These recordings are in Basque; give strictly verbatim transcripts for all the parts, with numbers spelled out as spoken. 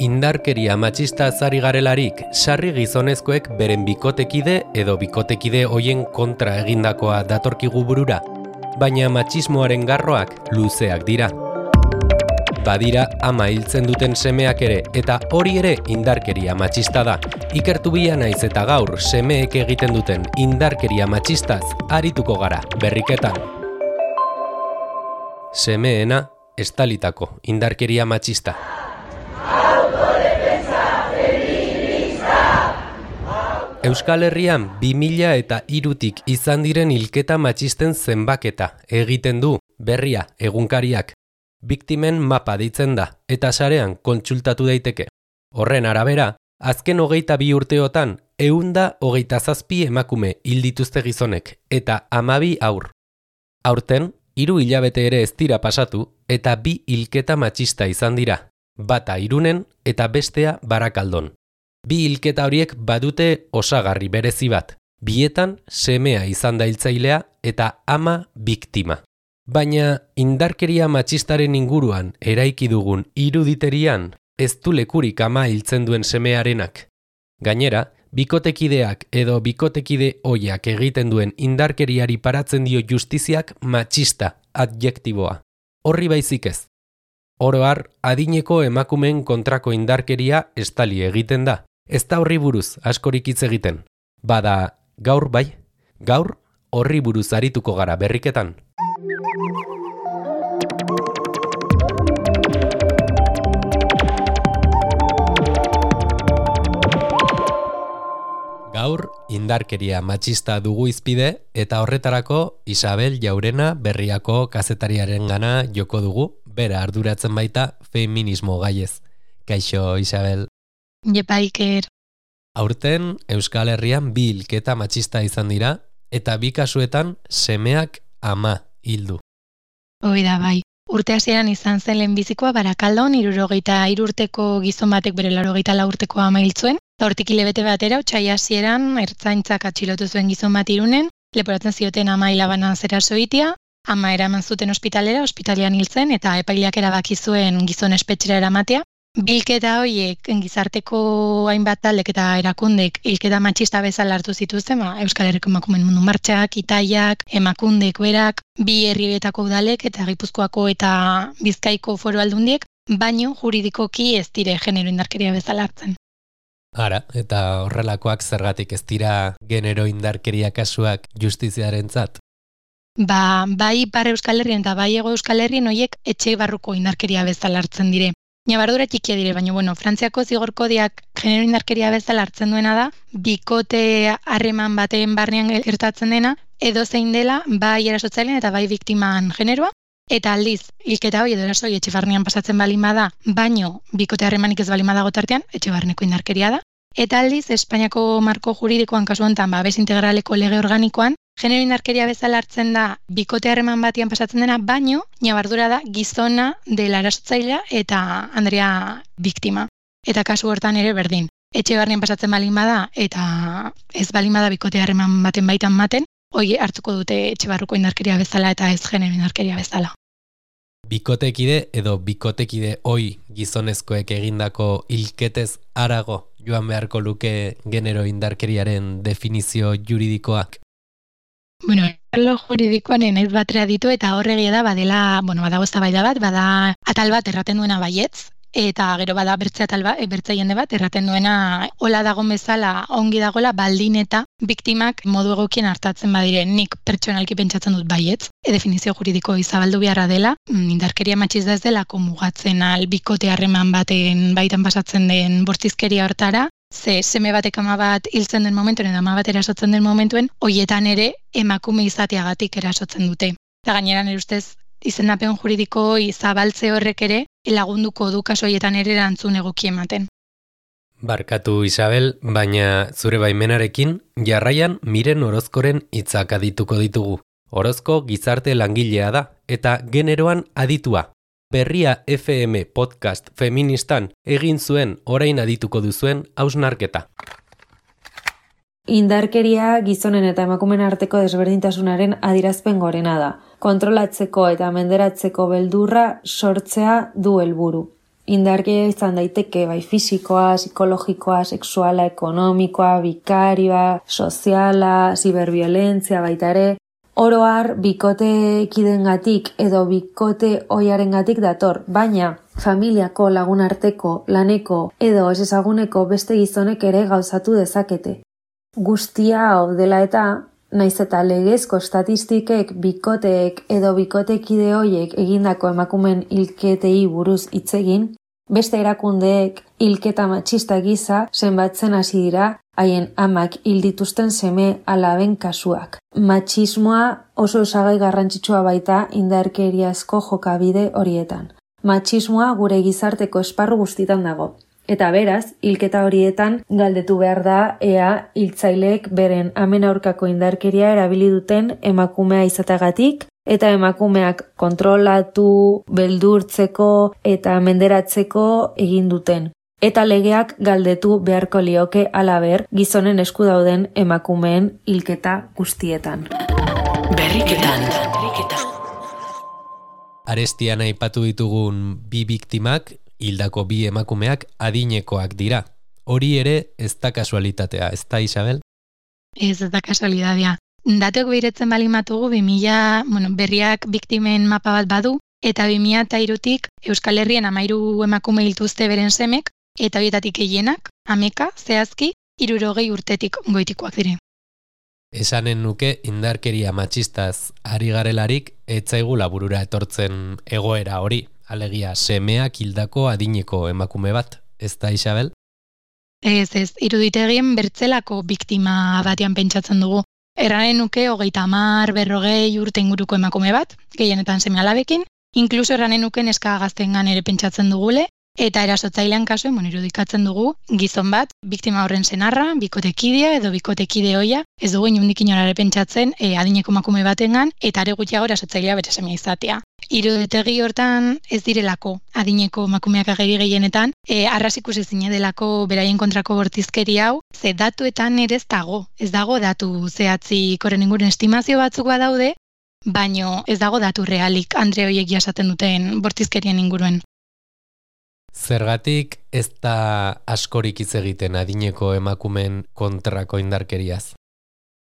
indarkeria matxista zari garelarik, sarri gizonezkoek beren bikotekide edo bikotekide hoien kontra egindakoa datorkigu burura, baina matxismoaren garroak luzeak dira. Badira ama hiltzen duten semeak ere, eta hori ere indarkeria matxista da. Ikertu bila naiz eta gaur semeek egiten duten indarkeria matxistaz arituko gara berriketan. Semeena estalitako indarkeria matxista. Euskal Herrian bi mila eta hirutik izan diren hilketa matxisten zenbaketa egiten du Berria egunkariak. Biktimen mapa deitzen da eta sarean kontsultatu daiteke. Horren arabera, azken hogeita bi urteotan ehunda hogeita zazpi emakume hil dituzte gizonek eta hamabi haur. Aurten, hiru hilabete ere ez dira pasatu eta bi hilketa matxista izan dira, bata Irunen eta bestea Barakaldon. Bi hilketa horiek badute osagarri berezi bat, bietan semea izan da hiltzailea eta ama biktima. Baina indarkeria matxistaren inguruan eraiki dugun iruditerian ez du lekurik ama hiltzen duen semearenak. Gainera, bikotekideak edo bikotekide ohiak egiten duen indarkeriari paratzen dio justiziak matxista adjektiboa. Horri baizik ez. Oro har, adineko emakumeen kontrako indarkeria estali egiten da. Ez da horri buruz askorik hitz egiten. Bada, gaur bai, gaur horri buruz arituko gara berriketan. Gaur, indarkeria matxista dugu izpide eta horretarako Isabel Jaurena Berriako kazetariaren gana joko dugu, bera arduratzen baita feminismo gaiez. Kaixo, Isabel. Jepa, Iker. Aurten, Euskal Herrian bi hilketa matxista izan dira eta bi kasuetan semeak ama hildu. Hoi da, bai. Urte hasieran izan zen lehenbizikoa Barakaldon hirurogeita hiru urteko gizon batek bere laurogeita lau urteko ama hil zuen. Hortik hilabete batera, otsaila hasieran ertzaintzak atxilotu zuen gizon bat Irunen, leporatzen zioten ama hilabanan zeraso egitea, ama eraman zuten ospitalera, ospitalean hil zen eta epaileak erabaki zuen gizon espetxera eramatea. Bilketa horiek gizarteko hainbat taldek eta erakundek hilketa matxista bezala hartu zituzten, ba, Euskal Herriko emakumeen mundu martxak, Itaiak, emakundek berak, bi herrietako udalek eta Gipuzkoako eta Bizkaiko foru aldundiek, baino juridikoki ez dire genero indarkeria bezala hartzen. Ara, eta horrelakoak zergatik ez dira genero indarkeria kasuak justiziarentzat? Ba, bai Ipar Euskal Herrian eta bai Hego Euskal Herrian horiek etxe barruko indarkeria bezala hartzen dire. Nabardura txikia dire, baina bueno, Frantziako zigor kodiak genero indarkeria bezala hartzen duena da, bikote harreman baten barnean gertatzen dena, edo zein dela bai erasotzailean eta bai biktiman generoa, eta aldiz, hilketa hori edo erasoi etxe barnean pasatzen balin bada, baino bikote harremanik ez balin badago tartean, etxe barneko indarkeria da. Eta aldiz, Espainiako marko juridikoan kasu honetan, babes integraleko lege organikoan, genero indarkeria bezala hartzen da bikote harreman batian pasatzen dena, baino, nabardura da gizona dela erasotzailea eta Andrea biktima. Eta kasu hortan ere berdin. Etxe barnean pasatzen balin bada eta ez balin bada bikote harreman baten baitan maten, hoi hartuko dute etxe barruko indarkeria bezala eta ez genero indarkeria bezala. Bikotekide edo bikotekide oi gizonezkoek egindako hilketez harago joan beharko luke genero indarkeriaren definizio juridikoak? Bueno, arlo juridikoan naiz batera ditu eta horregia da badela, bueno, badago eztabaida bat, bada atal bat erraten duena baietz, eta gero bada bertze atal bat, bertze jende bat erraten duena hola dago bezala ongi dagoela baldin eta biktimak modu egokien hartatzen badire. Nik pertsonalki pentsatzen dut baietz, e definizio juridiko izabaldu beharra dela, indarkeria matxista ez dela mugatzen al bikote harreman baten baitan pasatzen den bortizkeria hortara. Ze seme batek ama bat hiltzen den momentuen edo ama bat erasotzen den momentuen, hoietan ere emakume izateagatik erasotzen dute. Eta gainera nire ustez, izendapen juridiko izabaltze horrek ere lagunduko du kasu hoietan ere erantzun egoki ematen. Barkatu Isabel, baina zure baimenarekin jarraian Miren Orozkoren hitzak adituko ditugu. Orozko gizarte langilea da eta generoan aditua. Berria F M podcast feministan egin zuen orain adituko duzuen hausnarketa. Indarkeria gizonen eta emakumeen arteko desberdintasunaren adierazpen gorena da. Kontrolatzeko eta menderatzeko beldurra sortzea du helburu. Indarkeria izan daiteke bai fisikoa, psikologikoa, sexuala, ekonomikoa, bikarioa, soziala, ziberbiolentzia baita ere. Oro har, bikote kidengatik edo bikote ohiarengatik dator, baina familiako, lagunarteko, laneko edo ez ezaguneko beste gizonek ere gauzatu dezakete. Guztia hau dela eta, naiz eta legezko estatistikek bikoteek edo bikotekide hoiek egindako emakumen hilketei buruz hitz egin, beste erakundeek hilketa matxista gisa zenbatzen hasi dira haien amak hil dituzten seme alaben kasuak. Matxismoa oso osagai garrantzitsua baita indarkeriazko jokabide horietan. Matxismoa gure gizarteko esparru guztitan dago. Eta beraz, hilketa horietan galdetu behar da ea hiltzaileek beren amen aurkako indarkeria erabili duten emakumea izateagatik eta emakumeak kontrolatu, beldurtzeko eta menderatzeko egin duten. Eta legeak galdetu beharko lioke halaber gizonen esku dauden emakumeen hilketa guztietan. Berriketan. Arestian aipatu ditugun bi biktimak, hildako bi emakumeak adinekoak dira. Hori ere ez da kasualitatea, ez da, Isabel? Ez, ez da kasualitatea. Datuak behiretzen balimatugu, bi mila, bueno, berriak biktimen mapa bat badu, eta bi mila eta hirutik Euskal Herrien hamairu emakume hiltuzte beren semek, eta horietatik gehienak, ameka, zehazki, hirurogei urtetik goitikoak dire. Esanen nuke indarkeria matxistaz ari garelarik etzaigula burura etortzen egoera hori, alegia semeak hildako adineko emakume bat, ez da, Isabel? Ez, ez, iruditegien bertzelako biktima batean pentsatzen dugu. Erranen nuke hogeita hamar, berrogei urte inguruko emakume bat, gehienetan seme alabekin, inkluso erranen nuke neska gaztengan ere pentsatzen dugule, eta erasotzailean kasuen, bueno, irudikatzen dugu, gizon bat, biktima horren senarra, bikotekidea edo bikotekide hoia, ez dugu inundik inorare pentsatzen e, adineko emakume batengan, eta are gutxiago erasotzailea bere semea izatea. Iruditegi hortan ez direlako adineko emakumeak ageri gehienetan, e, arras ikusi zine delako beraien kontrako bortizkeri hau, ze datuetan ere ez dago, ez dago datu zehatzik horren inguruan estimazio batzuk badaude, baino ez dago datu realik andre horiek jasaten duten bortizkerien inguruen. Zergatik ez da askorik hitz egiten adineko emakumen kontrako indarkeriaz?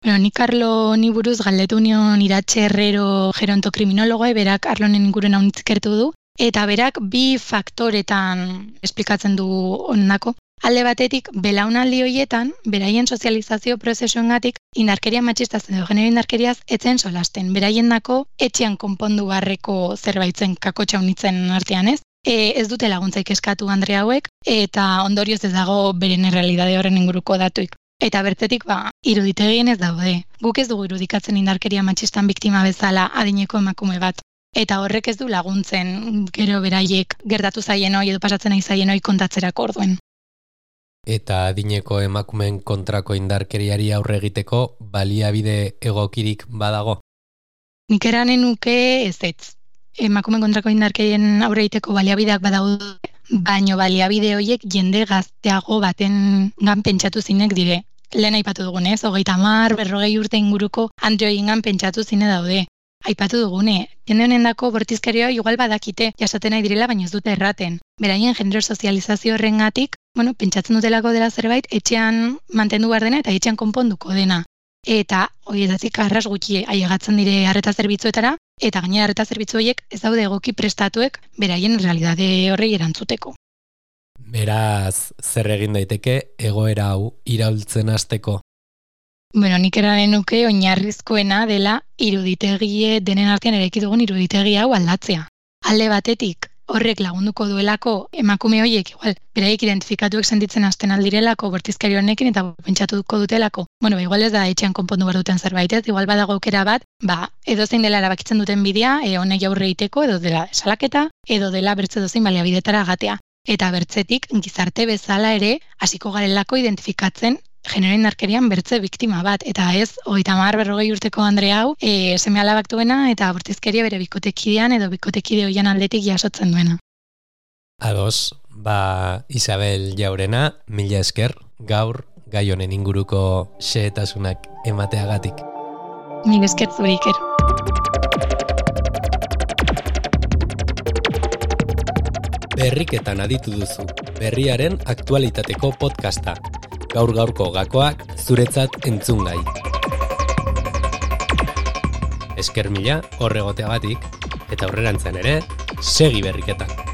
Bueno, nik Arlo ni buruz galdetu nion Iratxe Herrero gerontokriminologoa, berak Arlonen inguruen hau nitzikertu du, eta berak bi faktoretan esplikatzen du ondako. Alde batetik, belaunaldi horietan, beraien sozializazio prozesuengatik indarkeria matxistaz edo genero indarkeriaz etzen solasten. Beraien dako etxean konpondu barreko zerbaitzen kakotxa unitzen artean ez. E, ez dute laguntzaik eskatu andre hauek, eta ondorioz ez dago beren errealidade horren inguruko datuik. Eta bertzetik, ba, iruditegien ez daude. Guk ez dugu irudikatzen indarkeria matxistan biktima bezala adineko emakume bat. Eta horrek ez du laguntzen gero beraiek gertatu zaien hoi edo pasatzen nahi zaien hoi kontatzerako orduen. Eta adineko emakumeen kontrako indarkeriari aurre egiteko baliabide egokirik badago? Nik eranen nuke ez ez. Emakumen kontrako indarkerien aurre egiteko baliabideak badaude, baino baliabide horiek jende gazteago baten gan pentsatu zinek dire. Lehen aipatu dugunez, hogeita hamar, berrogei urte inguruko andre horiengan pentsatu zine daude. Aipatu dugune, jende honendako bortizkerioa igual badakite jasaten nahi direla, baina ez dute erraten. Beraien genero sozializazio horrengatik, bueno, pentsatzen dutelako dela zerbait, etxean mantendu behar dena eta etxean konponduko dena. Eta horietatik arras gutxi ailegatzen dire arreta zerbitzuetara, eta gainera arreta zerbitzu horiek ez daude egoki prestatuek beraien realidade horrei erantzuteko. Beraz, zer egin daiteke egoera hau iraultzen hasteko? Bueno, nik eranen nuke oinarrizkoena dela iruditegie denen artean eraiki dugun iruditegi hau aldatzea. Alde batetik, horrek lagunduko duelako emakume horiek, igual, beraiek identifikatuek sentitzen hasten aldirelako bortizkari honekin eta pentsatuko dutelako. Bueno, ba, igual ez da etxean konpondu behar duten zerbait, ez? Igual badago aukera bat, ba, edo zein dela erabakitzen duten bidea, e, honek aurre egiteko, edo dela salaketa, edo dela bertze dozein baliabidetara gatea. Eta bertzetik, gizarte bezala ere, hasiko garelako identifikatzen genero indarkerian bertze biktima bat, eta ez, hogeita hamar berrogei urteko andre hau, e, seme alabak duena eta bortizkeria bere bikotekidean edo bikotekide hoian aldetik jasotzen duena. Ados, ba, Isabel Jaurena, mila esker, gaur gai honen inguruko xehetasunak emateagatik. Mila esker zuri iker. Berriketan aditu duzu, berriaren aktualitateko podcasta. Gaur gaurko gakoak zuretzat entzungai. Esker mila horregoteagatik, eta aurrerantzean ere, segi berriketan.